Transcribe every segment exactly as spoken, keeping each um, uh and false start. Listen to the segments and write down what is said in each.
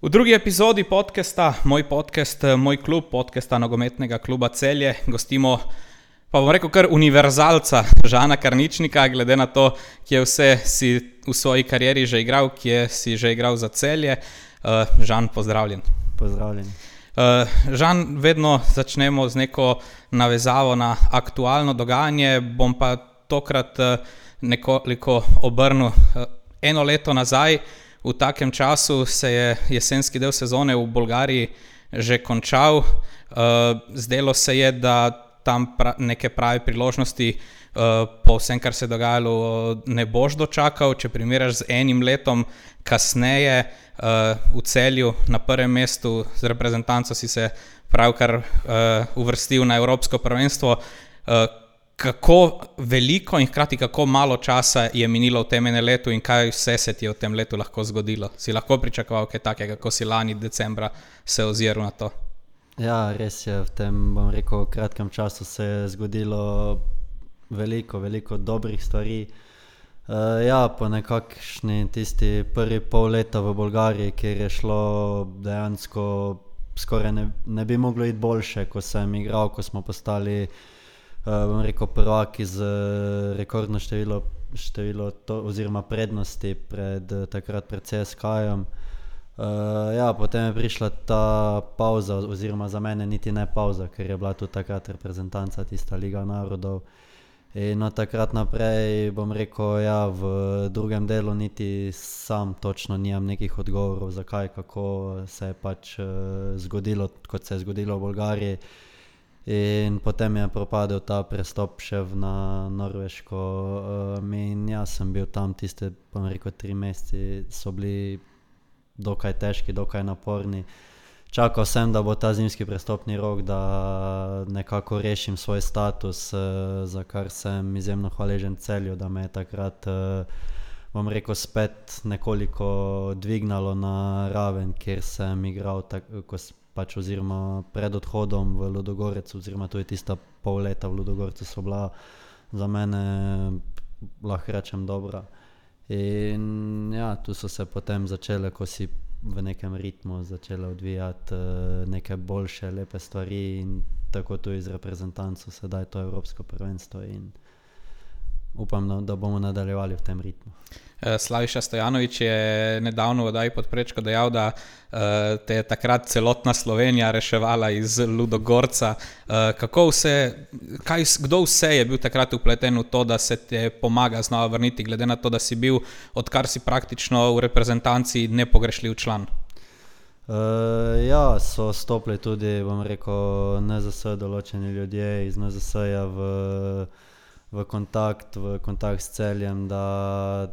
V drugi epizodi podcasta, moj podcast, moj klub, podcasta nogometnega kluba Celje, gostimo, pa bom rekel, kar univerzalca Žana Karničnika, glede na to, kje vse si v svoji karieri že igral, kje si že igral za Celje. Uh, Žan, pozdravljen. Pozdravljen. Uh, Žan, vedno začnemo z neko navezavo na aktualno dogajanje, bom pa tokrat uh, nekoliko obrnil uh, eno leto nazaj. V takem času se je jesenski del sezone v Bolgariji že končal. Uh, zdelo se je, da tam pra, neke prave priložnosti uh, po vsem, kar se je dogajalo, ne boš dočakal. Če primerjaš z enim letom kasneje uh, v Celju na prvem mestu z reprezentanco si se pravkar uh, uvrstil na Evropsko prvenstvo. Uh, Kako veliko in hkrati kako malo časa je minilo v tem enem letu in kaj vse se ti je v tem letu lahko zgodilo? Si lahko pričakoval kaj takega, kako si lani decembra se oziral na to? Ja, res je, v tem, bom rekel, kratkem času se je zgodilo veliko, veliko dobrih stvari. Uh, ja, po nekakšni tisti prvi pol leta v Bolgariji, kjer je šlo dejansko skoraj ne, ne bi moglo iti boljše, ko sem igral, ko smo postali Uh, bom rekel, prvaki z rekordno število, število to, oziroma prednosti pred, takrat pred C S K-jem. Uh, ja, potem je prišla ta pauza, oziroma za mene niti ne pauza, ker je bila tudi takrat reprezentanca, tista Liga narodov. In od takrat naprej, bom rekel, ja, v drugem delu niti sam točno nimam nekih odgovorov, zakaj, kako se je pač uh, zgodilo, kot se je zgodilo v Bolgariji. In potem je propadel ta prestop še na Norveško. Um, in jaz sem bil tam tiste, bom rekel, tri meseci so bili dokaj težki, dokaj naporni. Čakal sem, da bo ta zimski prestopni rok, da nekako rešim svoj status, uh, za kar sem izjemno hvaležen Celju, da me je takrat, uh, bom rekel, spet nekoliko dvignalo na raven, kjer sem igral tako, pač oziroma pred odhodom v Ludogorec, oziroma to je tista pol leta v Ludogorcu so bila za mene, lahko rečem, dobra. In ja, tu so se potem začele, ko si v nekem ritmu začele odvijati uh, neke boljše, lepe stvari in tako tu iz reprezentancu sedaj to Evropsko prvenstvo in upam, da bomo nadaljevali v tem ritmu. Slaviša Stojanović je nedavno v oddaji Pod prečko dejal, da uh, te je takrat celotna Slovenija reševala iz Ludogorca. Uh, kako vse, kaj, kdo vse je bil takrat upleten v to, da se te pomaga znova vrniti, glede na to, da si bil, odkar si praktično v reprezentanci nepogrešljiv član? Uh, ja, so stopili tudi, bom rekel, N Z S določeni ljudje iz N Z S-ja v, v kontakt, v kontakt s Celjem, da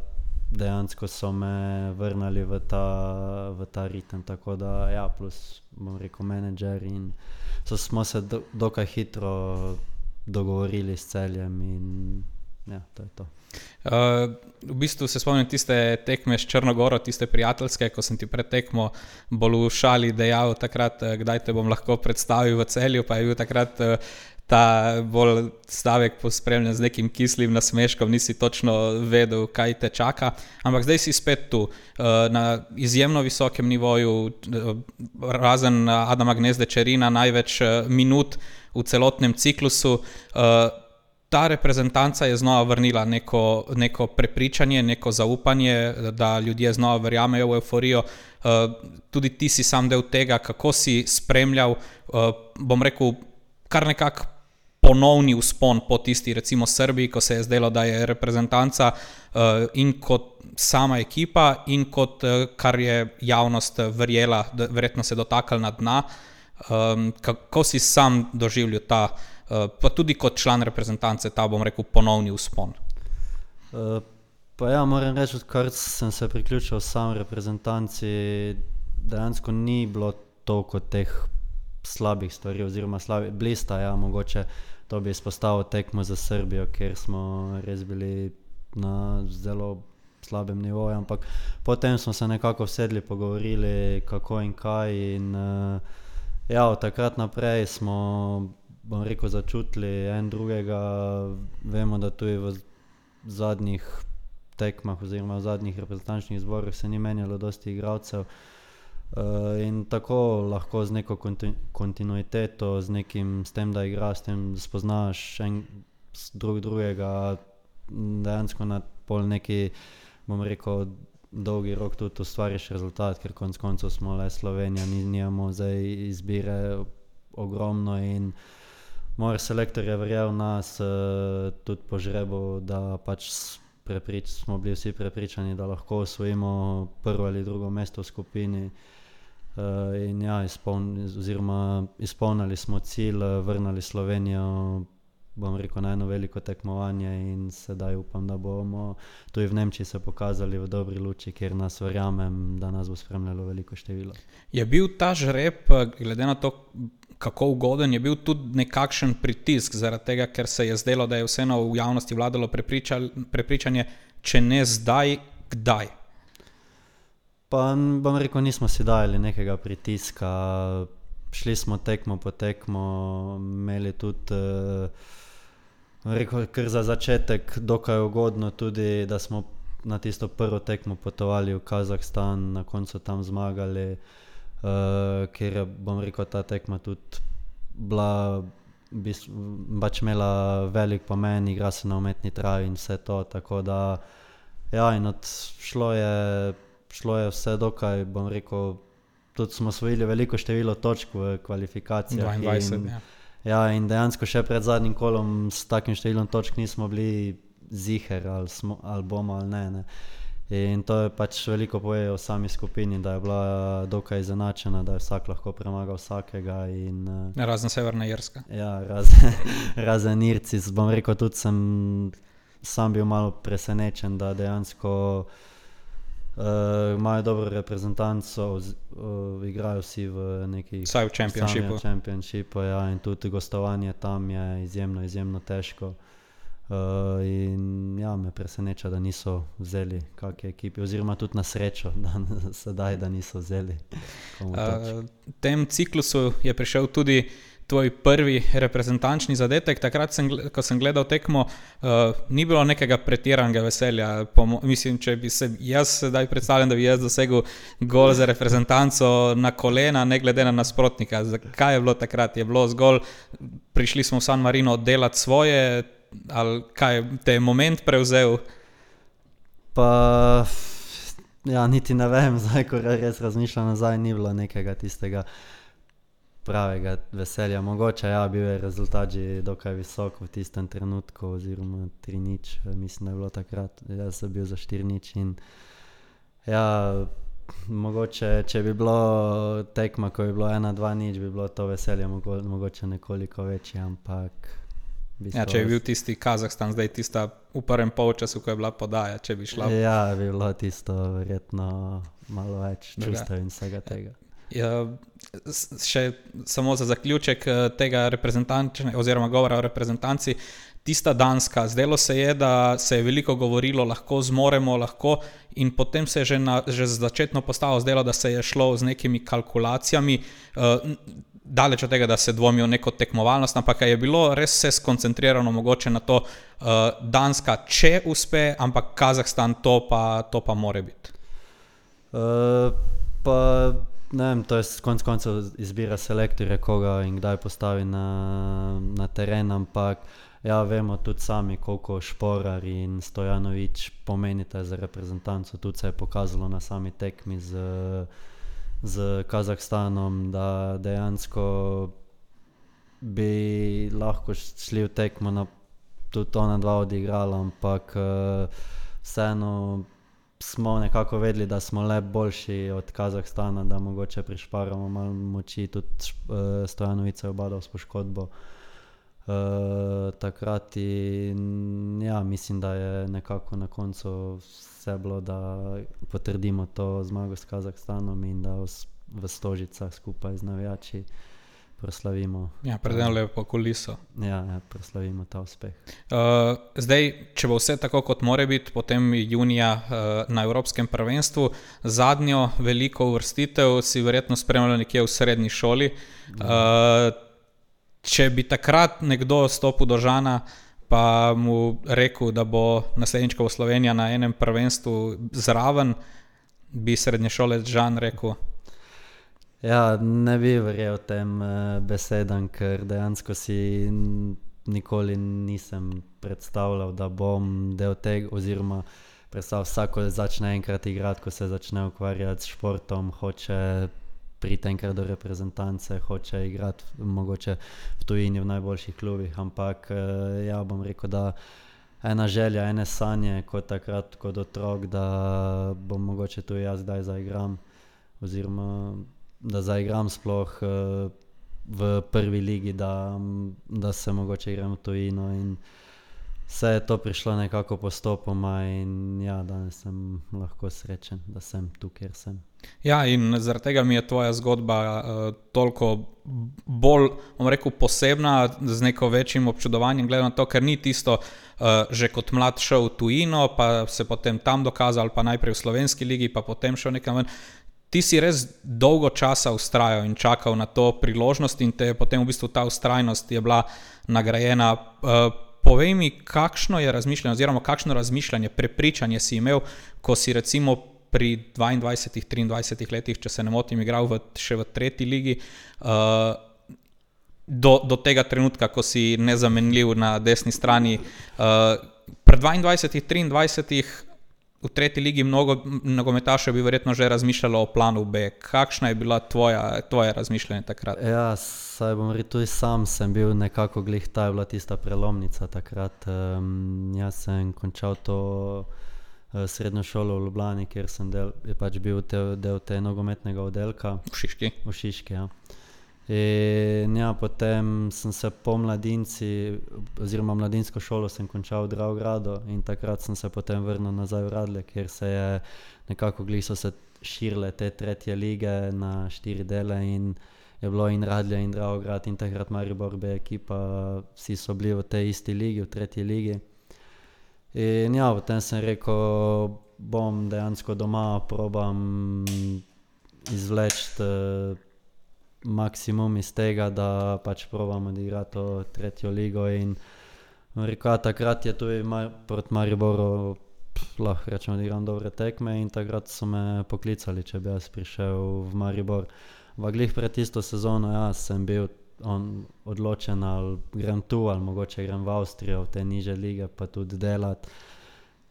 dejansko so me vrnali v ta, v ta ritem, tako da ja, plus, bom rekel, menedžer in so, smo se do, dokaj hitro dogovorili s Celjem in ja, to je to. Uh, v bistvu se spomnim tiste tekme s Črnogoro, tiste prijateljske, ko sem ti pred tekmo bolj v šali dejal takrat, kdaj te bom lahko predstavil v Celju, pa je bil takrat uh, ta bolj stavek pospremljen z nekim kislim nasmeškom, nisi točno vedel, kaj te čaka, ampak zdaj si spet tu, na izjemno visokem nivoju, razen Adama Gnezde Čerina, največ minut v celotnem ciklusu. Ta reprezentanca je znova vrnila neko, neko prepričanje, neko zaupanje, da ljudje znova verjamejo v euforijo. Tudi ti si sam del tega, kako si spremljal, bom rekel, kar nekako ponovni vzpon po tisti, recimo Srbiji, ko se je zdelo, da je reprezentanca uh, in kot sama ekipa in kot uh, kar je javnost verjela, da verjetno se dotakal na dna. Um, kako si sam doživljal ta, uh, pa tudi kot član reprezentance, ta, bom rekel, ponovni vzpon? Uh, pa ja, moram reči, odkar sem se priključil sam reprezentanci, dejansko ni bilo toliko teh slabih stvari, oziroma slabi, blista, ja, mogoče to bi izpostavil tekmo za Srbijo, kjer smo res bili na zelo slabem nivoju, ampak potem smo se nekako vsedli, pogovorili kako in kaj in uh, ja, od takrat naprej smo, bom rekel, začutili en drugega, vemo, da tudi v zadnjih tekmah oziroma v zadnjih reprezentančnih zborih se ni menjalo dosti igralcev. Uh, in tako lahko z neko konti- kontinuiteto, z nekim, s tem, da igraš, s tem, da spoznaš en, drug drugega, dejansko na pol neki, bom rekel, dolgi rok tudi ustvariš rezultat, ker konc koncev smo le Slovenija, ni, nijamo zdaj izbire ogromno in moj selektor je verjel v nas, uh, tudi po žrebu, da pač preprič, smo bili vsi prepričani, da lahko osvojimo prvo ali drugo mesto v skupini. Uh, in ja, izpoln, oziroma izpolnili smo cilj, vrnili Slovenijo, bom rekel, na eno veliko tekmovanje in sedaj upam, da bomo tudi v Nemčiji se pokazali v dobri luči, kjer nas verjamem, da nas bo spremljalo veliko število. Je bil ta žreb, glede na to, kako ugoden, je bil tudi nekakšen pritisk zaradi tega, ker se je zdelo, da je vseeno v javnosti vladalo prepričanje, če ne zdaj, kdaj? Pa bom rekel, nismo si dajali nekega pritiska, šli smo tekmo po tekmo, imeli tudi, bom rekel, kar za začetek dokaj ugodno tudi, da smo na tisto prvo tekmo potovali v Kazahstan, na koncu tam zmagali, uh, ker je, bom rekel, ta tekma tudi bila, pač imela velik pomen, igra se na umetni travi in vse to, tako da ja, in od šlo je šlo je vse dokaj, bom rekel, tudi smo osvojili veliko število točk v kvalifikacijah. dvaindvajset, in, ja. Ja, in dejansko še pred zadnjim kolom s takim številom točk nismo bili ziher, ali, smo, ali bomo ali ne, ne. In to je pač veliko poje o sami skupini, da je bila dokaj izenačena, da je vsak lahko premagal vsakega. In, razen Severna Irska. Ja, razen, razen Irci. Bom rekel, tudi sem sam bil malo presenečen, da dejansko Uh, imajo dobro reprezentanco, uh, igrajo vsi v neki vsaj v Championshipu. Championshipu, ja, in tudi gostovanje tam je izjemno, izjemno težko. Uh, in ja, me preseneča, da niso vzeli kakšne ekipe, oziroma tudi na srečo, da sedaj, da niso vzeli. Uh, v tem ciklusu je prišel tudi tvoj prvi reprezentančni zadetek. Takrat, sem, ko sem gledal tekmo, uh, ni bilo nekega pretiranega veselja. Pomo- mislim, če bi se jaz sedaj predstavljam, da bi jaz dosegel gol za reprezentanco na kolena, ne glede na nasprotnika. Kaj je bilo takrat? Je bilo zgolj, prišli smo v San Marino delati svoje, ali kaj te je moment prevzel? Pa, ja, niti ne vem, zdaj, ko res razmišljam nazaj, ni bilo nekega tistega pravega veselja. Mogoče, ja, bil je rezultat že dokaj visok v tistem trenutku, oziroma tri nič, mislim, da je bilo takrat. Jaz sem bil za štiri nič in ja, mogoče, če bi bilo tekma, ko bi bilo ena dva nič, bi bilo to veselje mogo, mogoče nekoliko večje, ampak ja, če je bil tisti Kazahstan, zdaj tista v prvem polčasu, ko je bila podaja, če bi šla. Ja, bi bilo tisto verjetno malo več čustev in vsega tega. Ja, še samo za zaključek tega reprezentančnega oziroma govora o reprezentanci, tista Danska, zdelo se je, da se je veliko govorilo, lahko zmoremo, lahko, in potem se je že, na, že začetno postalo zdelo, da se je šlo z nekimi kalkulacijami, uh, daleč od tega, da se dvomijo neko tekmovalnost, ampak je bilo res vse skoncentrirano mogoče na to, uh, Danska, če uspe, ampak Kazahstan to pa, to pa more biti. Uh, pa ne vem, to je konc koncev izbira selektorja, koga in kdaj postavi na, na teren, ampak ja, vemo tudi sami, koliko Šporar in Stojanović pomenite za reprezentanco. Tudi se je pokazalo na sami tekmi z, z Kazahstanom, da dejansko bi lahko šli v tekmo, na, tudi ona dva odigrala, ampak vseeno smo nekako vedeli, da smo le boljši od Kazahstana, da mogoče prišparamo malo moči, tudi uh, Stojanović je obadal s poškodbo uh, takrat in ja, mislim, da je nekako na koncu vse bilo, da potrdimo to zmago s Kazahstanom in da v Stožicah skupaj z navijači proslavimo. Ja, predvsem lepo kuliso. Ja, ja, proslavimo ta uspeh. Uh, zdaj, če bo vse tako, kot more biti, potem junija uh, na Evropskem prvenstvu, zadnjo veliko uvrstitev si verjetno spremljal nekje v srednji šoli. Uh, če bi takrat nekdo stopil do Žana, pa mu rekel, da bo naslednjič, ko bo Slovenija na enem prvenstvu zraven, bi srednje šole Žan rekel? Ja, ne bi verjel tem uh, besedam, ker dejansko si nikoli nisem predstavljal, da bom del tega, oziroma predstavljal vsako začne enkrat igrati, ko se začne ukvarjati s športom, hoče priti enkrat do reprezentance, hoče igrati mogoče v tujini v najboljših klubih, ampak uh, ja, bom rekel, da ena želja, ene sanje, kot takrat, kot otrok, da bom mogoče tu jaz zdaj zaigram, oziroma da zaigram sploh uh, v prvi ligi, da, da se mogoče igram v tujino in vse je to prišlo nekako postopoma in ja, danes sem lahko srečen, da sem tu, kjer sem. Ja, in zaradi tega mi je tvoja zgodba uh, toliko bolj, bom rekel, posebna, z neko večjim občudovanjem, gledam na to, ker ni tisto uh, že kot mlad šel v tujino, pa se potem tam dokazal, pa najprej v slovenski ligi, pa potem šel nekam ven. Ti si res dolgo časa vztrajal in čakal na to priložnost in te potem v bistvu ta vztrajnost je bila nagrajena. Uh, povej mi, kakšno je razmišljanje, oziroma kakšno razmišljanje, prepričanje si imel, ko si recimo pri dvaindvajsetih, triindvajsetih letih, če se ne motim, igral v, še v tretji ligi, uh, do, do tega trenutka, ko si nezamenljiv na desni strani. Uh, pri dvaindvajsetih, triindvajsetih v tretji ligi mnogo nogometašev bi verjetno že razmišljalo o planu B. Kakšna je bila tvoja, tvoje razmišljanje takrat? Ja, saj bom rekel, tudi sam sem bil nekako glih, ta je bila tista prelomnica takrat. Um, jaz sem končal to uh, srednjo šolo v Ljubljani, kjer sem del, je pač bil te, del te nogometnega oddelka. V Šiški. V Šiški, ja. In ja, potem sem se po mladinci, oziroma mladinsko šolo sem končal v Dravogradu in takrat sem se potem vrnil nazaj v Radlje, kjer se je nekako glih so se širile te tretje lige na štiri dele in je bilo in Radlje in Dravograd in takrat Maribor B ekipa, vsi so bili v tej isti ligi, v tretji ligi. In ja, potem sem rekel, bom dejansko doma, probam izvleči maksimum iz tega, da pač probam odigrati to tretjo ligo in rekel, takrat je tudi mar, proti Mariboru pff, lahko rečem, odigram dobre tekme in takrat so me poklicali, če bi jaz prišel v Maribor. V glih pred tisto sezono, ja, sem bil on odločen, ali grem tu, ali mogoče grem v Avstrijo, v te niže lige, pa tudi delati.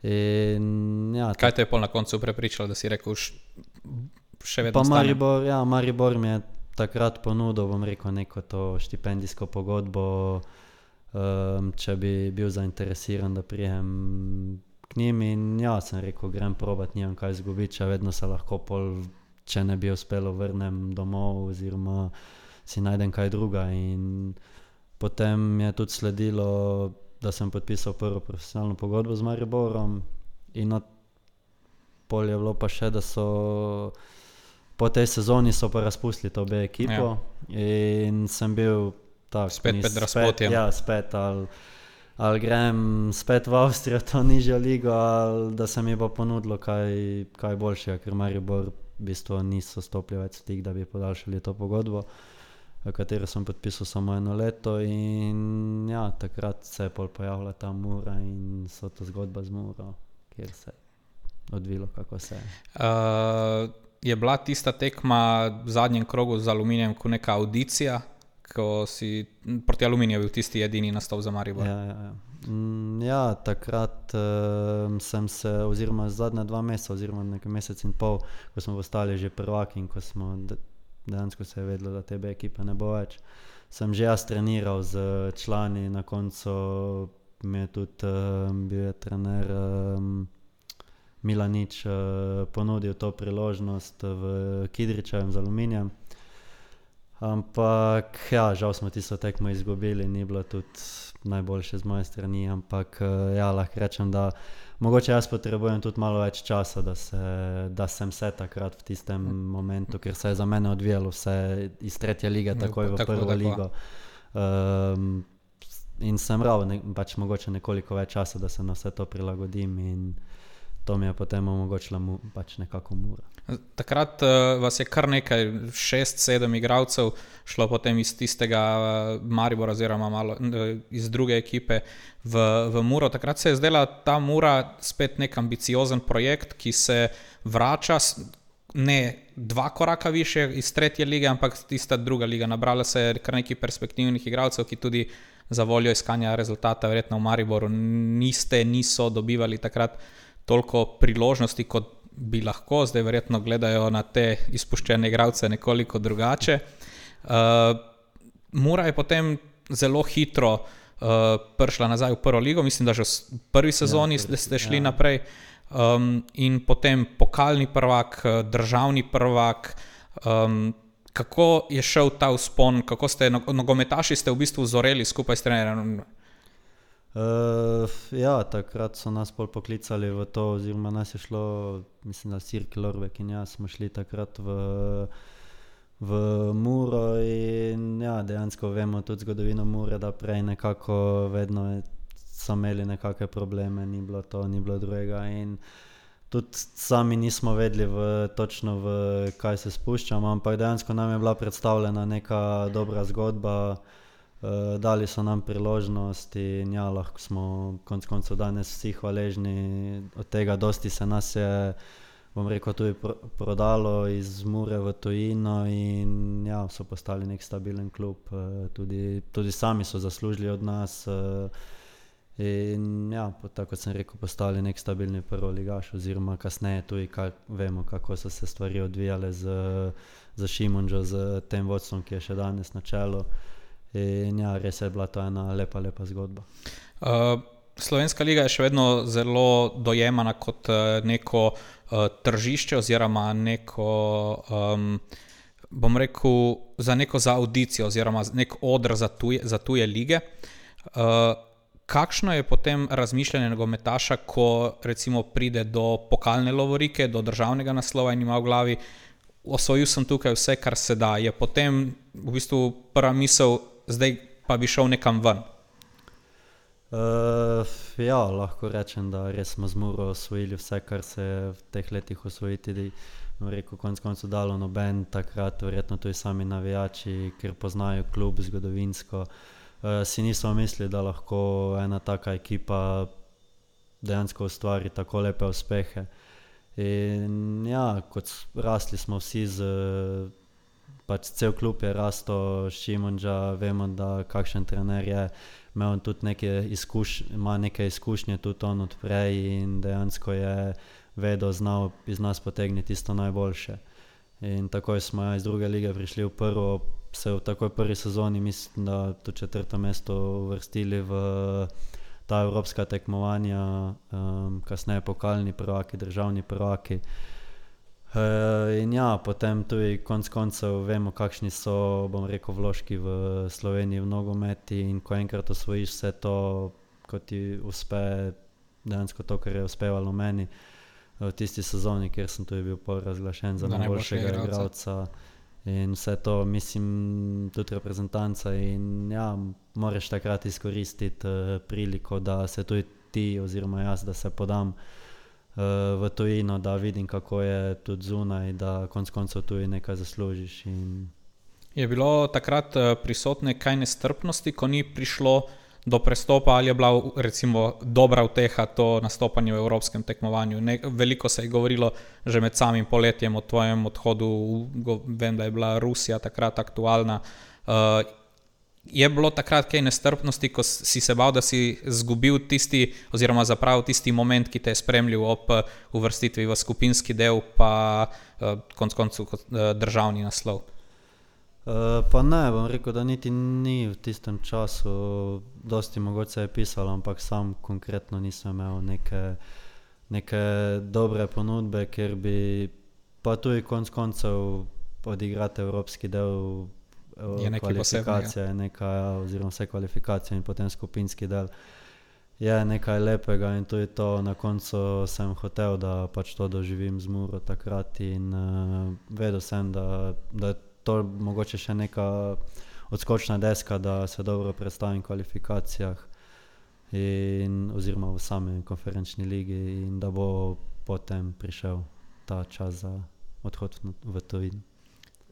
In, ja, kaj te je pol na koncu prepričalo, da si rekel, še vedno pa stane? Maribor, ja, Maribor mi je takrat ponudil, bom rekel, neko to štipendijsko pogodbo, um, če bi bil zainteresiran, da prijem k njim in ja, sem rekel, grem probat, nimam kaj izgubiti, če vedno se lahko pol, če ne bi uspelo, vrnem domov oziroma si najdem kaj druga in potem je tudi sledilo, da sem podpisal prvo profesionalno pogodbo z Mariborom in od pol je bilo pa še, da so po tej sezoni so pa razpustili to B ekipo, ja. In sem bil tak, spet pred razpotjem. Ja, spet, ali, ali grem spet v Avstrijo, to nižjo ligo, ali da se mi bo ponudilo kaj, kaj boljšega, ker Maribor v bistvu niso stopili več stik, da bi podaljšali to pogodbo, v katero sem podpisal samo eno leto in ja, takrat se je pol pojavila ta Mura in so to zgodba z Muro, kjer se je odvilo, kako se je. Uh... Je bila tista tekma v zadnjem krogu z Aluminijem kot neka audicija, ko si proti Aluminiju bil tisti edini nastop za Maribor? Ja, ja, ja. Mm, ja takrat uh, sem se, oziroma zadnja dva meseca, oziroma nekaj mesec in pol, ko smo postali že prvaki in ko smo de, dejansko se je vedelo, da te B ekipe ne bo več, sem že jaz treniral z člani, na koncu mi je tudi uh, bil je trener um, Milanič uh, ponudil to priložnost v Kidričevem z Aluminijem. Ampak ja, žal smo tisto tekmo izgubili, ni bilo tudi najboljše z moje strani, ampak uh, ja, lahko rečem, da mogoče jaz potrebujem tudi malo več časa, da, se, da sem se takrat v tistem momentu, ker se je za mene odvijalo vse iz tretje lige takoj v tako, prvo tako. ligo. Um, in sem rad ne, pač mogoče nekoliko več časa, da se na vse to prilagodim in to mi je potem omogočila mu, pač nekako Mura. Takrat uh, vas je kar nekaj, šest, sedem igralcev šlo potem iz tistega uh, Maribora oziroma malo uh, iz druge ekipe v, v Muro. Takrat se je zdela ta Mura spet nek ambiciozen projekt, ki se vrača, ne dva koraka više iz tretje lige, ampak tista druga liga. Nabrala se je kar nekaj perspektivnih igralcev, ki tudi za voljo iskanja rezultata verjetno v Mariboru niste, niso dobivali takrat toliko priložnosti, kot bi lahko. Zdaj verjetno gledajo na te izpuščene igralce nekoliko drugače. Uh, Mura je potem zelo hitro uh, prišla nazaj v prvo ligo, mislim, da že v prvi sezoni ja, ste šli ja. naprej. Um, in potem pokalni prvak, državni prvak. Um, kako je šel ta vzpon, kako ste, nogometaši ste v bistvu zoreli skupaj s trenerjem? Uh, ja, takrat so nas pol poklicali v to, oziroma nas je šlo, mislim, da Sirk Lorbek in jaz smo šli takrat v, v Muro in ja, dejansko vemo tudi zgodovino Mure, da prej nekako vedno je so imeli nekakve probleme, ni bilo to, ni bilo drugega in tudi sami nismo vedeli v, točno v kaj se spuščamo, ampak dejansko nam je bila predstavljena neka dobra zgodba, uh, dali so nam priložnost in ja, lahko smo konec koncev danes vsi hvaležni od tega, dosti se nas je, bom rekel, tudi pro, prodalo iz Mure v tujino in ja, so postali nek stabilen klub, uh, tudi, tudi sami so zaslužili od nas, uh, in ja, tako kot sem rekel, postali nek stabilni prvoligaš, oziroma kasneje tudi kak, vemo, kako so se stvari odvijale z, z Šimunžo, z tem vodstvom, ki je še danes na čelu. In ja, res je bila to ena lepa, lepa zgodba. Uh, Slovenska liga je še vedno zelo dojemana kot uh, neko uh, tržišče oziroma neko, um, bom rekel, za neko za audicijo oziroma nek odr za tuje, za tuje lige. Uh, Kakšno je potem razmišljanje nogometaša, ko recimo pride do pokalne lovorike, do državnega naslova in ima v glavi, osvojil sem tukaj vse, kar se da, je potem v bistvu prva misel, zdaj pa bi šel nekam ven? Uh, ja, lahko rečem, da res smo z Muro osvojili vse, kar se je v teh letih osvojiti, rekel, konec koncev dalo noben takrat, verjetno tudi sami navijači, ker poznajo klub zgodovinsko. Uh, si nismo mislili, da lahko ena taka ekipa dejansko ustvari tako lepe uspehe. In ja, kot rasli smo vsi z, pač cel klub je rasto Šimunža, vemo, da kakšen trener je, imel tudi neke izkušnje, ima neke izkušnje tudi on odprej in dejansko je vedel, znal iz nas potegniti tisto najboljše. In takoj smo ja, iz druge lige prišli v prvo, se v takoj prvi sezoni, mislim, da to četrto mesto uvrstili v ta evropska tekmovanja, um, kasneje pokalni prvaki, državni prvaki. Uh, in ja, potem tudi konc koncev vemo, kakšni so, bom rekel, vložki v Sloveniji v nogometi in ko enkrat osvojiš vse to, ko ti uspe dejansko to, kar je uspevalo meni v tisti sezoni, kjer sem tudi bil razglašen za najboljšega igralca. In vse to, mislim, tudi reprezentanca in ja, moraš takrat izkoristiti uh, priliko, da se tudi ti oziroma jaz, da se podam uh, v tujino, da vidim, kako je tudi zunaj, da konc koncev tudi nekaj zaslužiš. In je bilo takrat uh, prisotne kaj nestrpnosti, ko ni prišlo do prestopa, ali je bila recimo dobra uteha to nastopanje v evropskem tekmovanju? Ne, veliko se je govorilo že med samim poletjem o tvojem odhodu, go, vem, da je bila Rusija takrat aktualna. Uh, je bilo takrat kaj nestrpnosti, ko si se bal, da si zgubil tisti oziroma zapravil tisti moment, ki te je spremljal ob uvrstitvi v skupinski del, pa uh, konc koncu uh, državni naslov? Uh, pa ne, bom rekel, da niti ni v tistem času, dosti mogoče je pisalo, ampak sam konkretno nisem imel neke, neke dobre ponudbe, ker bi pa tudi konc koncev odigrati evropski del kvalifikacije, neka, oziroma vse kvalifikacije in potem skupinski del je nekaj lepega in tudi to na koncu sem hotel, da pač to doživim z Muro takrat in uh, vedel sem, da, da to mogoče še neka odskočna deska, da se dobro predstavim v kvalifikacijah in, oziroma v sami konferenčni ligi in da bo potem prišel ta čas za odhod v tujino.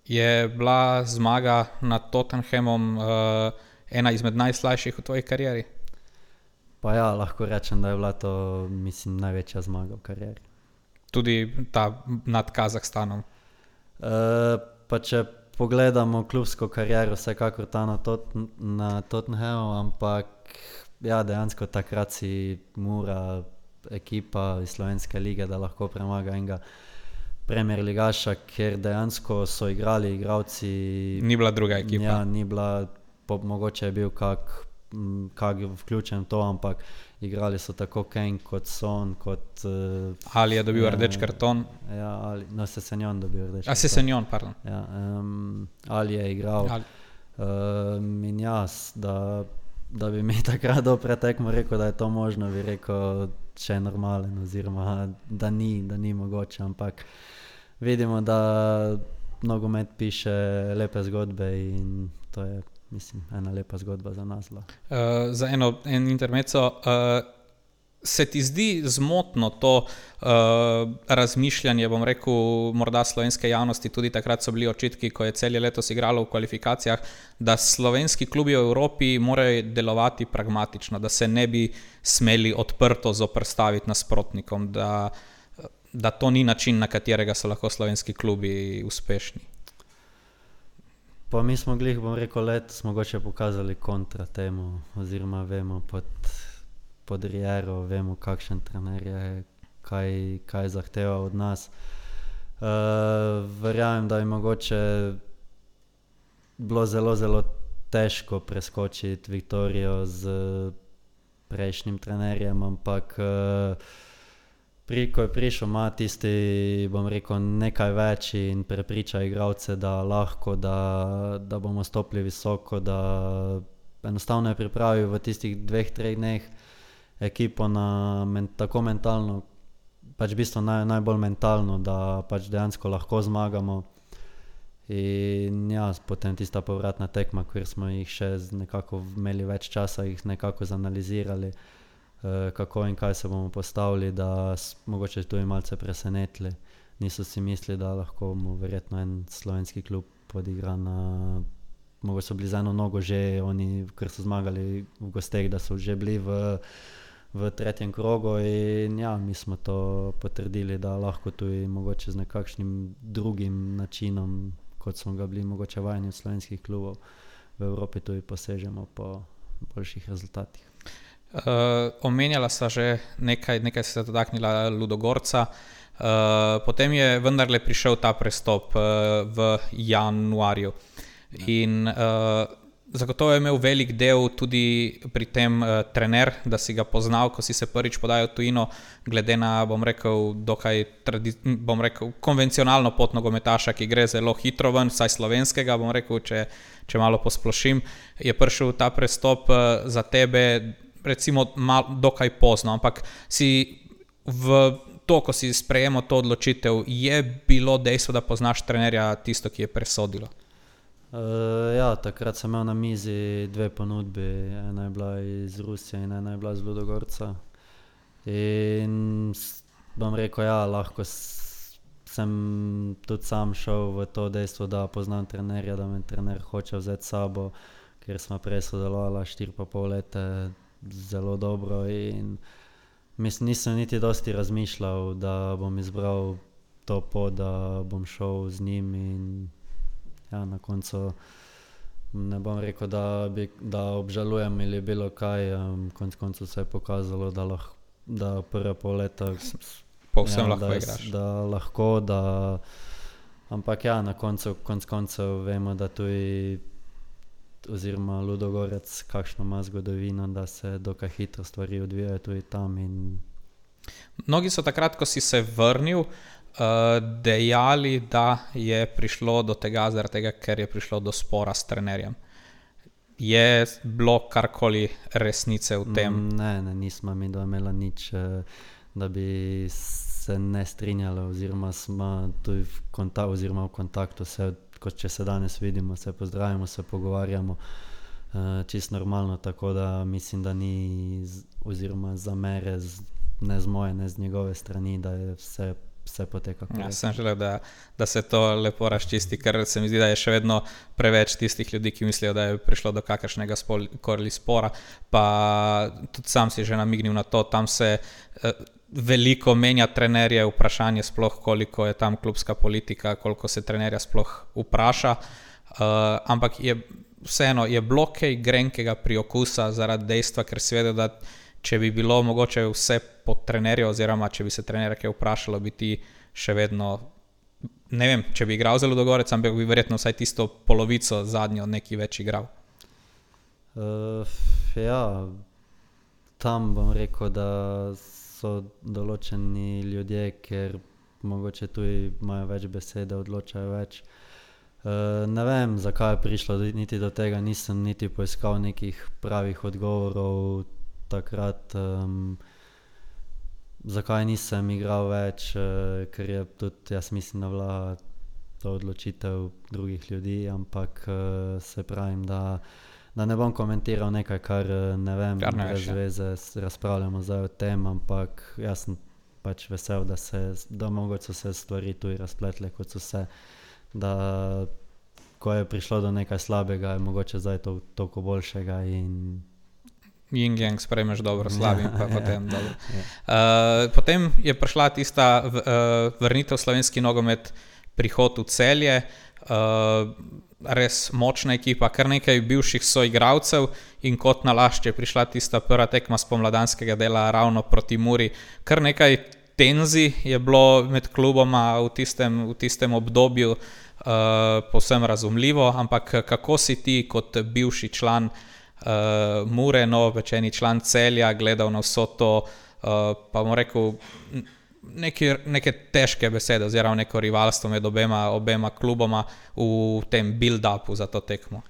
Je bila zmaga nad Tottenhamom uh, ena izmed najslajših v tvoji karieri? Pa ja, lahko rečem, da je bila to, mislim, največja zmaga v karieri. tudi ta nad Kazahstanom. Uh, pa če pogledamo klubsko kariero, vsekakor ta na, tot, na Tottenhamu, ampak ja, dejansko takrat si Mura ekipa iz Slovenske lige, da lahko premaga enega Premier ligaša, ker dejansko so igrali igralci. Ni bila druga ekipa. Ja, ni bila, po, mogoče je bil kak, kak vključen to, ampak igrali so tako Kane kot Son, kot... Uh, Ali je dobil ja, rdeč karton? Ja, ali, no, Sesenjon dobil rdeč karton. A Sesenjon, pardon. Ja, um, Ali je igral. Ali. Um, in jaz, da, da bi mi takrat do pretekmo rekel, da je to možno, bi rekel, če je normalen, oziroma da ni, da ni mogoče, ampak vidimo, da nogomet piše lepe zgodbe in to je, mislim, ena lepa zgodba za nas. Uh, za eno en intermezzo, uh, se ti zdi zmotno to uh, razmišljanje, bom rekel, morda slovenske javnosti, tudi takrat so bili očitki, ko je Celje letos igralo v kvalifikacijah, da slovenski klubi v Evropi morajo delovati pragmatično, da se ne bi smeli odprto zoperstaviti nasprotnikom, da, da to ni način, na katerega so lahko slovenski klubi uspešni. Pa mi smo glih, bom rekel, letos mogoče pokazali kontra temu, oziroma vemo pod, pod Riero, vemo kakšen trener je, kaj, kaj zahteva od nas. Uh, verjamem, da je mogoče bilo zelo, zelo težko preskočiti Viktorijo z prejšnjim trenerjem, ampak uh, pri, ko je prišel, ima tisti, bom rekel, nekaj več in prepriča igralce, da lahko, da, da bomo stopili visoko, da enostavno je pripravil v tistih dveh, treh dneh ekipo na men, tako mentalno, pač v bistvu naj, najbolj mentalno, da pač dejansko lahko zmagamo. In ja, potem tista povratna tekma, kjer smo jih še nekako imeli več časa, jih nekako zanalizirali, kako in kaj se bomo postavili, da mogoče tudi malce presenetili. Niso si mislili, da lahko mu verjetno en slovenski klub odigra na... Mogoče so bili z eno nogo že oni, ker so zmagali v gosteh, da so že bili v, v tretjem krogu in ja, mi smo to potrdili, da lahko tudi mogoče z nekakšnim drugim načinom, kot smo ga bili mogoče vajeni od slovenskih klubov, v Evropi tudi posežemo po boljših rezultatih. Uh, omenjala sta že nekaj, nekaj se je dotaknila Ludogorca, uh, potem je vendarle prišel ta prestop uh, v januarju in uh, zagotovo je imel velik del tudi pri tem uh, trener, da si ga poznal, ko si se prvič podajal v tujino, glede na, bom rekel, dokaj tradi- bom rekel, konvencionalno pot nogometaša, ki gre zelo hitro ven, vsaj slovenskega, bom rekel, če, če malo posplošim, je prišel ta prestop uh, za tebe recimo mal, dokaj pozno, ampak si v to, ko si sprejemal to odločitev, je bilo dejstvo, da poznaš trenerja tisto, ki je presodilo? Uh, ja, takrat sem imel na mizi dve ponudbi, ena je bila iz Rusije in ena je bila iz Ludogorca. In bom rekel, ja, lahko sem tudi sam šel v to dejstvo, da poznam trenerja, da me trener hoče vzeti s sabo, ker smo prej sodelovali štiri pa pol leta zelo dobro in mislim, nisem niti dosti razmišljal, da bom izbral to pot, da bom šel z njim in ja, na koncu ne bom rekel, da, bi, da obžalujem ali bilo kaj, um, konc koncu se je pokazalo, da, lah, da prve pol leta povsem ja, lahko da, igraš. Da lahko, da ampak ja, na koncu konc koncev vemo, da tudi oziroma Ludogorec kakšno ima zgodovino, da se dokaj hitro stvari odvijajo tudi tam. In mnogi so takrat, ko si se vrnil, uh, dejali, da je prišlo do tega, zaradi tega, ker je prišlo do spora s trenerjem. Je bilo karkoli resnice v tem? Ne, ne, nismo mi imela nič, da bi se ne strinjali, oziroma smo tudi v, konta oziroma v kontaktu, se, kot če se danes vidimo, se pozdravimo, se pogovarjamo uh, čisto normalno, tako da mislim, da ni z, oziroma zamere z, ne z moje, ne z njegove strani, da je vse vse poteka. Ja, sem želel, da, da se to lepo razčisti, ker se mi zdi, da je še vedno preveč tistih ljudi, ki mislijo, da je prišlo do kakršnega koli spora, pa tudi sam si že namignil na to, tam se eh, veliko menja trenerje, vprašanje sploh, koliko je tam klubska politika, koliko se trenerja sploh vpraša, uh, ampak je, vseeno je bilo kaj grenkega priokusa zaradi dejstva, ker si vedel, da če bi bilo mogoče vse pod trenerjo, oziroma če bi se trenerja kaj vprašalo, bi ti še vedno, ne vem, če bi igral zelo dogorec, ampak bi verjetno vsaj tisto polovico zadnjo neki več igral. Uh, ja, tam bom rekel, da so določeni ljudje, ker mogoče tudi imajo več besede, odločajo več. Uh, ne vem, zakaj je prišlo niti do tega, nisem niti poiskal nekih pravih odgovorov takrat, um, zakaj nisem igral več, uh, ker je tudi, jaz mislim, da bila to odločitev drugih ljudi, ampak uh, se pravim, da, da ne bom komentiral nekaj, kar ne vem, Kar ne brez veš, ja. veze razpravljamo zdaj o tem, ampak jaz sem pač vesel, da se, da mogoče so se stvari tudi razpletle, kot so se, da ko je prišlo do nekaj slabega, je mogoče zdaj to, toliko boljšega in Yin-yang sprejmeš dobro, slabim pa Ja, potem ja, dobro. ja. Uh, potem je prišla tista v, uh, vrnitev v slovenski nogomet, prihod v Celje, uh, res močna ekipa, kar nekaj bivših soigralcev in kot nalašč je prišla tista prva tekma spomladanskega dela ravno proti Muri. Kar nekaj tenzij je bilo med kluboma v tistem, v tistem obdobju, uh, povsem razumljivo, ampak kako si ti kot bivši član Uh, Mure, novopečeni član Celja, gledal na vso to, uh, pa bom rekel, neke, neke težke besede oziroma neko rivalstvo med obema, obema kluboma v tem build-upu za to tekmo.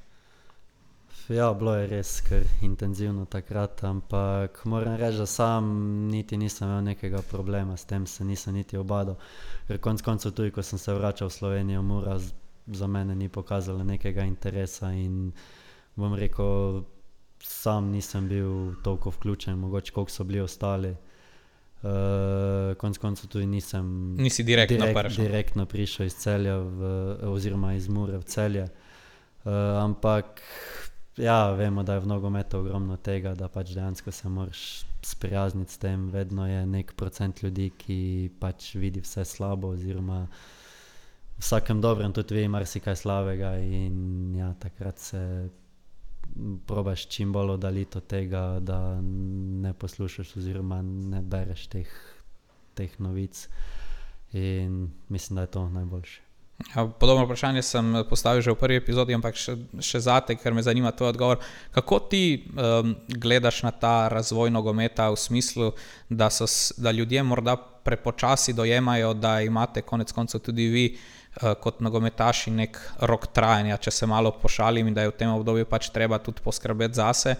Ja, bilo je res kar intenzivno takrat, ampak moram reči, da sam niti nisem imel nekega problema s tem, se nisem niti obadal, ker konc koncev tudi, ko sem se vračal v Slovenijo, Mura z, za mene ni pokazala nekega interesa in bom rekel, sam nisem bil toliko vključen, mogoče koliko so bili ostali. Uh, konc koncev tudi nisem Nisi direktno direkt, prišel. direktno prišel iz Celja v, oziroma iz Mure v Celje. Uh, ampak ja, vemo, da je v nogometu ogromno tega, da pač dejansko se moraš sprijazniti s tem, vedno je nek procent ljudi, ki pač vidi vse slabo oziroma v vsakem dobrem tudi vidi marsikaj slabega in ja, takrat se probaš čim bolj oddaliti od tega, da ne poslušaš oziroma ne bereš teh, teh novic in mislim, da je to najboljše. Ja, podobno vprašanje sem postavil že v prvi epizodi, ampak še, še zate, ker me zanima tvoj odgovor. Kako ti um, gledaš na ta razvoj nogometa v smislu, da, so, da ljudje morda prepočasi dojemajo, da imate konec koncev tudi vi uh, kot nogometaši nek rok trajanja, če se malo pošalim, in da je v tem obdobju pač treba tudi poskrbeti zase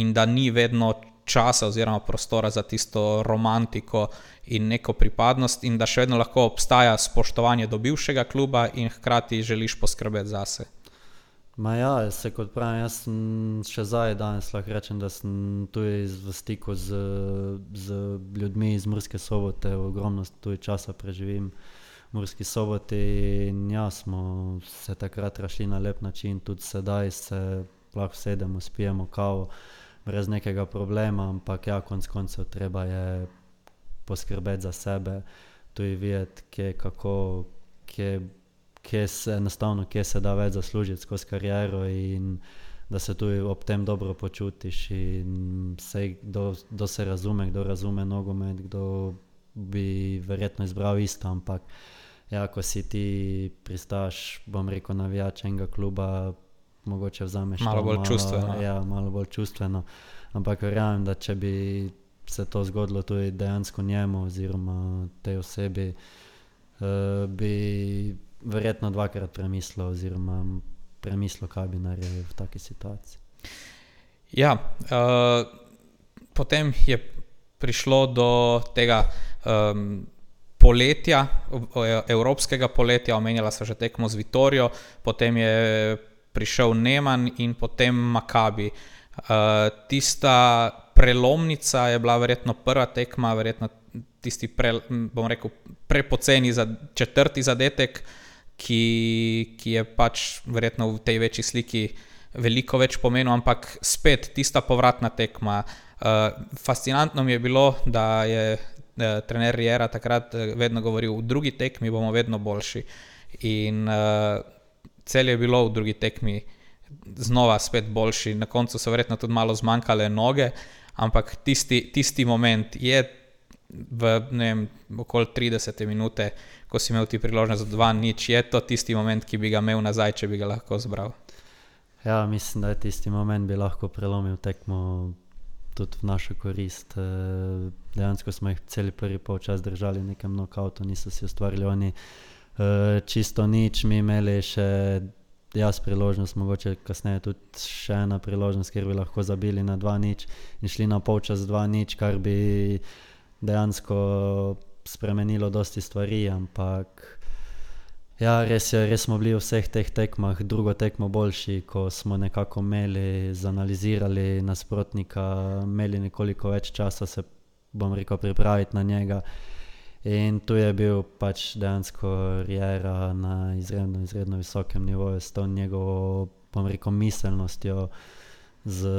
in da ni vedno časa oziroma prostora za tisto romantiko in neko pripadnost in da še vedno lahko obstaja spoštovanje do bivšega kluba in hkrati želiš poskrbeti zase. Ma ja, se kot pravim, jaz sem še zdaj danes lahko rečem, da sem tudi v stiku z, z ljudmi iz Murske Sobote, ogromno tudi časa preživim v Murski Soboti in ja, smo se takrat rašli na lep način, tudi sedaj se lahko sedemo, spijemo kavo brez nekega problema, ampak ja, konc koncev treba je poskrbeti za sebe, tudi videti, kje, kako, kje kje se enostavno, kje se da več zaslužiti skozi kariero in da se tudi ob tem dobro počutiš in sej, kdo, kdo se razume, kdo razume nogomet, kdo bi verjetno izbral isto, ampak ja, ko si ti pristaš, bom rekel, navijač enega kluba, mogoče vzameš malo bolj malo, čustveno. Ja, malo bolj čustveno, ampak verjamem, da če bi se to zgodilo tudi dejansko njemu oziroma tej osebi, uh, bi verjetno dvakrat premislil oziroma premislil, kaj bi naredil v taki situaciji. Ja, uh, potem je prišlo do tega um, poletja, evropskega poletja, omenjala se že tekmo z Vitorijo, potem je prišel Neman in potem Makabi. Uh, tista prelomnica je bila verjetno prva tekma, verjetno tisti pre, bom rekel, prepoceni za četrti zadetek, ki, ki je pač verjetno v tej večji sliki veliko več pomenil, ampak spet tista povratna tekma. Uh, fascinantno mi je bilo, da je uh, trener Riera takrat vedno govoril, v drugi tekmi bomo vedno boljši. In uh, Celje je bilo v drugi tekmi znova spet boljši. Na koncu so verjetno tudi malo zmanjkale noge, ampak tisti, tisti moment je v, ne vem, okoli tridesete minute, ko si imel ti priložnost za dva nič, je to tisti moment, ki bi ga imel nazaj, če bi ga lahko zbral. Ja, mislim, da je tisti moment bi lahko prelomil tekmo tudi v našo korist. Dejansko smo jih celi prvi polčas držali v nekem knockoutu, niso si ustvarili oni čisto nič, mi imeli še jaz priložnost, mogoče kasneje tudi še ena priložnost, kjer bi lahko zabili na dva nič in šli na polčas dva nič, kar bi dejansko spremenilo dosti stvari, ampak ja, res je, res smo bili v vseh teh tekmah drugo tekmo boljši, ko smo nekako imeli, zanalizirali nasprotnika, imeli nekoliko več časa se, bom rekel, pripraviti na njega. In tu je bil pač dejansko Riera na izredno, izredno visokem nivoju s to njegovo, bom rekel, miselnostjo, z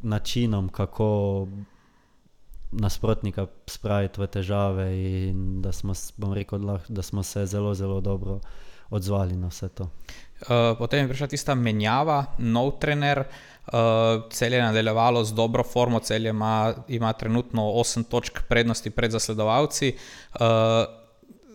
načinom, kako nasprotnika spraviti v težave in da smo, bom rekel, da smo se zelo, zelo dobro odzvali na vse to. Uh, potem je prišla tista menjava, nov trener, uh, Celje je nadaljevalo z dobro formo, Celje ima, ima trenutno osem točk prednosti pred zasledovalci. Uh,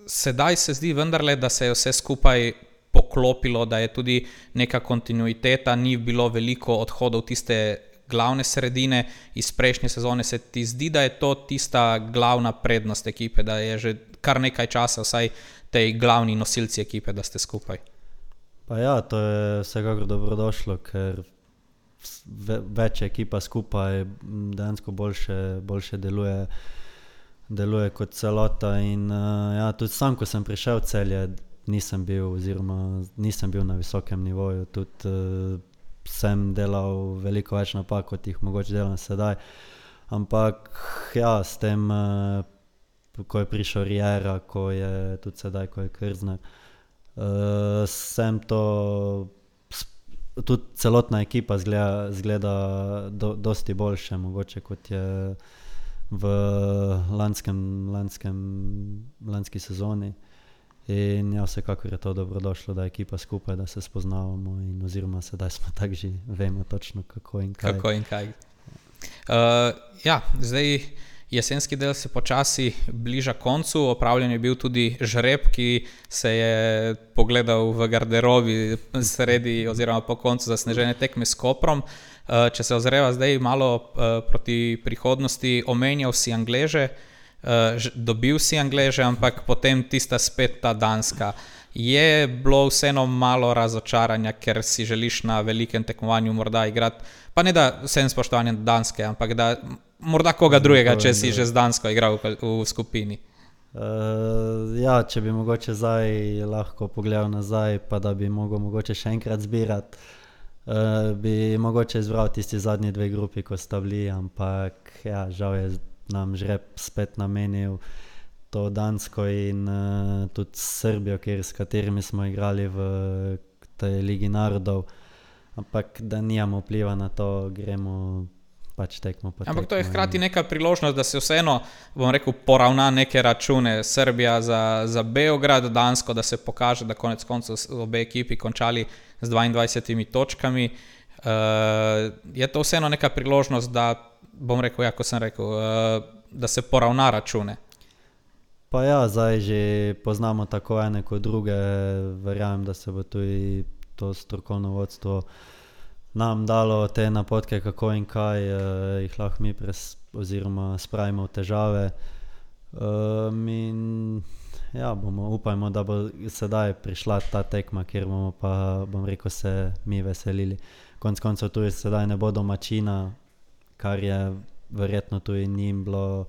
sedaj se zdi vendarle, da se je vse skupaj poklopilo, da je tudi neka kontinuiteta, ni bilo veliko odhodov tiste glavne sredine iz prejšnje sezone. Se ti zdi, da je to tista glavna prednost ekipe, da je že kar nekaj časa vsaj tej glavni nosilci ekipe, da ste skupaj? Pa ja, to je vsekakor dobrodošlo, ker več ekipa skupaj dejansko boljše, boljše deluje, deluje kot celota in ja, tudi sam, ko sem prišel v Celje, nisem bil oziroma nisem bil na visokem nivoju, tudi sem delal veliko več napak, kot jih mogoče delam sedaj, ampak ja, s tem, ko je prišel Riera, ko je tudi sedaj, ko je Krzner, uh, sem to, tudi celotna ekipa zgleda, zgleda do, dosti boljše, mogoče kot je v lanskem, lanskem, lanski sezoni. In ja, vsekakor je to dobrodošlo, da je ekipa skupaj, da se spoznavamo in oziroma sedaj smo tak že, vemo točno kako in kaj. Kako in kaj. Uh, ja, zdaj jesenski del se počasi bliža koncu, opravljen je bil tudi žreb, ki se je pogledal v garderobi sredi oziroma po koncu zasnežene tekme s Koprom. Uh, če se ozreva zdaj malo uh, proti prihodnosti, omenjal si Angleže, Uh, dobil si Angleže, ampak potem tista spet ta Danska. Je bilo vseeno malo razočaranja, ker si želiš na velikem tekmovanju morda igrati, pa ne da vsem spoštovanjem Danske, ampak da morda koga drugega, če si že z Dansko igral v, v skupini. Uh, ja, če bi mogoče zdaj lahko pogledal nazaj, pa da bi mogel mogoče še enkrat zbirati, uh, bi mogoče izbral tisti zadnji dve grupi, ko sta bili, ampak ja, žal je nam žreb spet namenil to Dansko in uh, tudi Srbijo, kjer, s katerimi smo igrali v tej Ligi narodov, ampak da nijamo vpliva na to, gremo pač tekmo po tekmo. Ampak to je hkrati neka priložnost, da se vseeno, bom rekel, poravna neke račune. Srbija za, za Beograd, Dansko, da se pokaže, da konec koncev obe ekipi končali z dvaindvajsetimi točkami. Uh, je to vseeno neka priložnost, da bom rekel, ja, ko sem rekel, da se poravna račune. Pa ja, zdaj že poznamo tako ene kot druge, verjamem, da se bo tudi to strokovno vodstvo nam dalo te napotke, kako in kaj eh, jih lahko mi pres, oziroma spravimo v težave. Um, in ja, bomo, upajmo, da bo sedaj prišla ta tekma, kjer bomo pa, bom rekel, se mi veselili. Konec koncev tudi sedaj ne bo domačina, kar je verjetno tudi njim bilo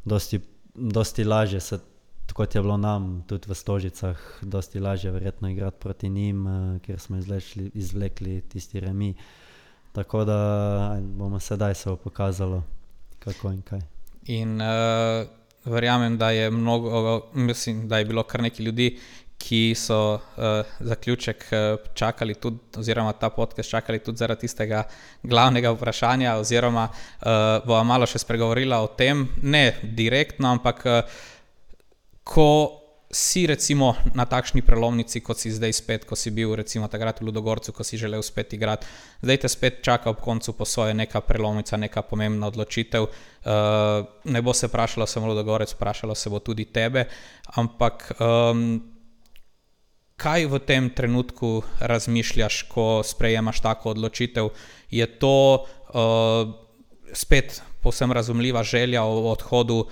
dosti, dosti lažje, se, kot je bilo nam tudi v Stožicah, dosti lažje verjetno igrati proti njim, kjer smo izvlekli, izvlekli tisti remi. Tako da bomo sedaj se bo pokazalo, kako in kaj. In uh, verjamem, da je mnogo, mislim, da je bilo kar nekaj ljudi, ki so uh, zaključek uh, čakali tudi, oziroma ta podcast čakali tudi zaradi tistega glavnega vprašanja, oziroma uh, bova malo še spregovorila o tem, ne direktno, ampak uh, ko si recimo na takšni prelomnici, kot si zdaj spet, ko si bil recimo takrat v Ludogorcu, ko si želel spet igrati, zdaj te spet čaka ob koncu po svoje neka prelomnica, neka pomembna odločitev. Uh, ne bo se vprašalo samo Ludogorec, vprašalo se bo tudi tebe, ampak um, kaj v tem trenutku razmišljaš, ko sprejemaš tako odločitev? Je to uh, spet povsem razumljiva želja o odhodu uh,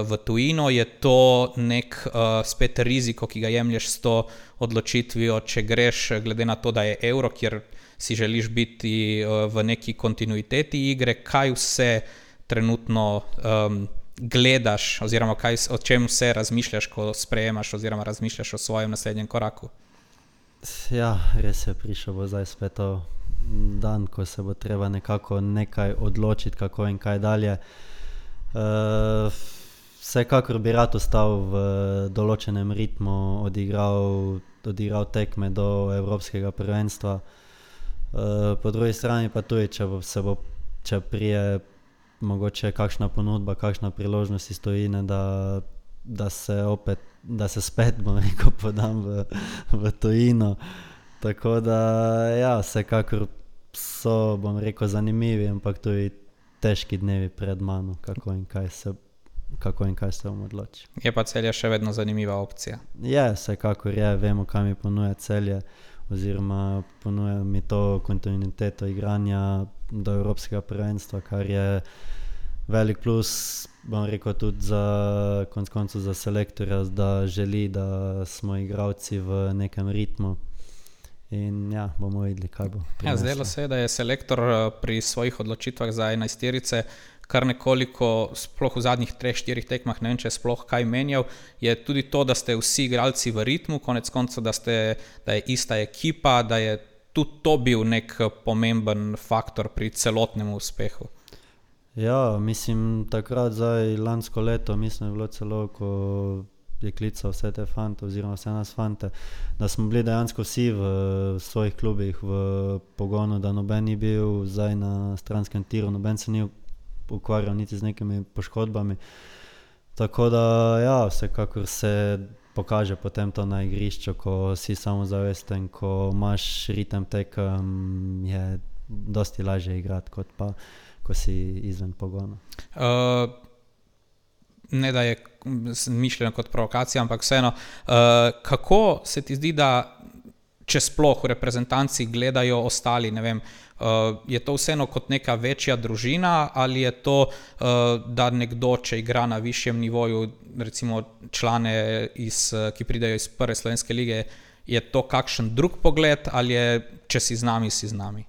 v tujino? Je to nek uh, spet riziko, ki ga jemlješ s to odločitvijo, če greš, glede na to, da je Euro, kjer si želiš biti uh, v neki kontinuiteti igre? Kaj vse trenutno um, gledaš, oziroma kaj, o čem vse razmišljaš, ko sprejemaš oziroma razmišljaš o svojem naslednjem koraku? Ja, res je, prišel bo zdaj spet dan, ko se bo treba nekako nekaj odločiti, kako in kaj dalje. Uh, vsekakor bi rad ostal v določenem ritmu, odigral, odigral tekme do Evropskega prvenstva. Uh, po drugi strani pa tudi, če bo, se bo, če prije mogoče kakšna ponudba, kakšna priložnost iz tujine, da, da se opet, da se spet, bom rekel, podam v, v tujino. Tako da, ja, vsekakor so, bom rekel, zanimivi, ampak tudi težki dnevi pred mano, kako in kaj se, kako in kaj se bom odločil. Je pa Celje še vedno zanimiva opcija? Je, vsekakor je, vemo, kaj mi ponuja Celje, oziroma ponuja mi to kontinuiteto igranja do Evropskega prvenstva, kar je velik plus, bom rekel, tudi za konec koncev za selektorja, da želi, da smo igralci v nekem ritmu. In ja, bomo videli, kaj bo prineslo. Ja, zdelo se je, da je selektor pri svojih odločitvah za enajsterice kar nekoliko, sploh v zadnjih treh, štirih tekmah, ne vem, če je sploh kaj menjal, je tudi to, da ste vsi igralci v ritmu, konec koncev, da, ste, da je ista ekipa, da je tudi to bil nek pomemben faktor pri celotnem uspehu. Ja, mislim, takrat zdaj lansko leto, mislim, je bilo celo, ko je klical vse te fante, oziroma vse nas fante, da smo bili dejansko vsi v svojih klubih v pogonu, da noben ni bil zdaj na stranskem tiru, noben se ni ukvarjal niti z nekimi poškodbami. Tako da, ja, vsekakor se pokaže potem to na igrišču, ko si samozavesten, ko imaš ritem tekem, je dosti lažje igrati, kot pa, ko si izven pogona. Uh, ne da je mišljeno kot provokacija, ampak vseeno, uh, kako se ti zdi, da če sploh v reprezentanci gledajo ostali, ne vem, uh, je to vseeno kot neka večja družina, ali je to, uh, da nekdo, če igra na višjem nivoju, recimo člane, iz, ki pridejo iz prve slovenske lige, je to kakšen drug pogled, ali je, če si z nami, si z nami?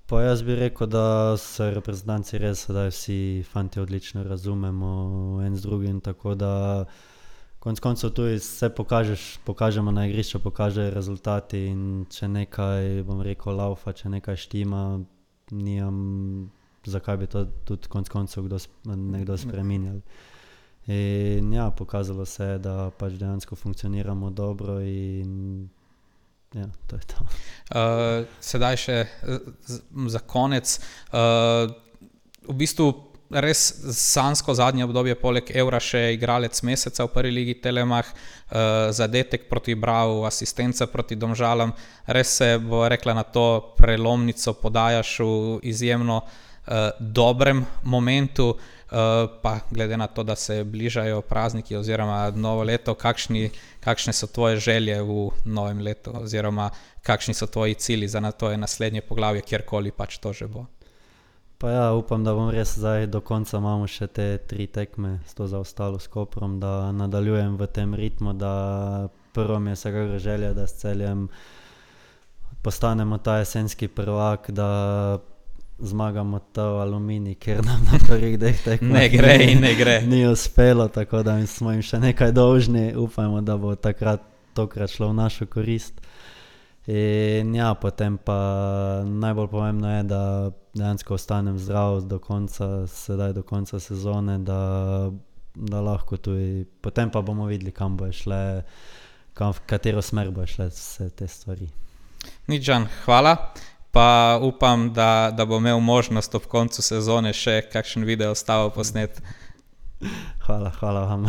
Pa jaz bi rekel, da se reprezentanci res sedaj vsi fanti odlično razumemo en z drugim, tako da konec koncev tudi se pokažeš, pokažemo na igrišču, pokažejo rezultati in če nekaj, bom rekel, laufa, če nekaj štima, nijam, zakaj bi to tudi konec koncev kdo, nekdo spreminjali. In ja, pokazalo se je, da pač dejansko funkcioniramo dobro in ja, to je to. Uh, sedaj še z, za konec. Uh, v bistvu res sanjsko zadnje obdobje, poleg Evra še igralec meseca v prvi ligi Telemach, uh, zadetek proti Bravu, asistenca proti Domžalam. Res se bo rekla na to prelomnico podajaš v izjemno uh, dobrem momentu. Uh, pa glede na to, da se bližajo prazniki oziroma novo leto, kakšni, kakšne so tvoje želje v novem letu oziroma kakšni so tvoji cilji za na to je naslednje poglavje, kjerkoli pač to že bo? Pa ja, upam, da bom res zdaj do konca imamo še te tri tekme s to zaostalo s Koprom, da nadaljujem v tem ritmu, da prvo mi je vsekakor želja, da s Celjem postanemo ta jesenski prvak, da zmagamo to Aluminij, ker nam na prvih dveh tekmah ne gre in ne gre. Ni uspelo, tako da smo jim še nekaj dolžni. Upajmo, da bo takrat tokrat šlo v našo korist. In ja, potem pa najbolj pomembno je, da dejansko ostanem zdrav do konca, sedaj do konca sezone, da, da lahko tudi, potem pa bomo videli, kam bo šle, kam, v katero smer bo šle vse te stvari. Nič, Žan, hvala. Pa upam, da, da bo imel možnost ob koncu sezone še kakšen video ostavo posnet. Hvala, hvala vam.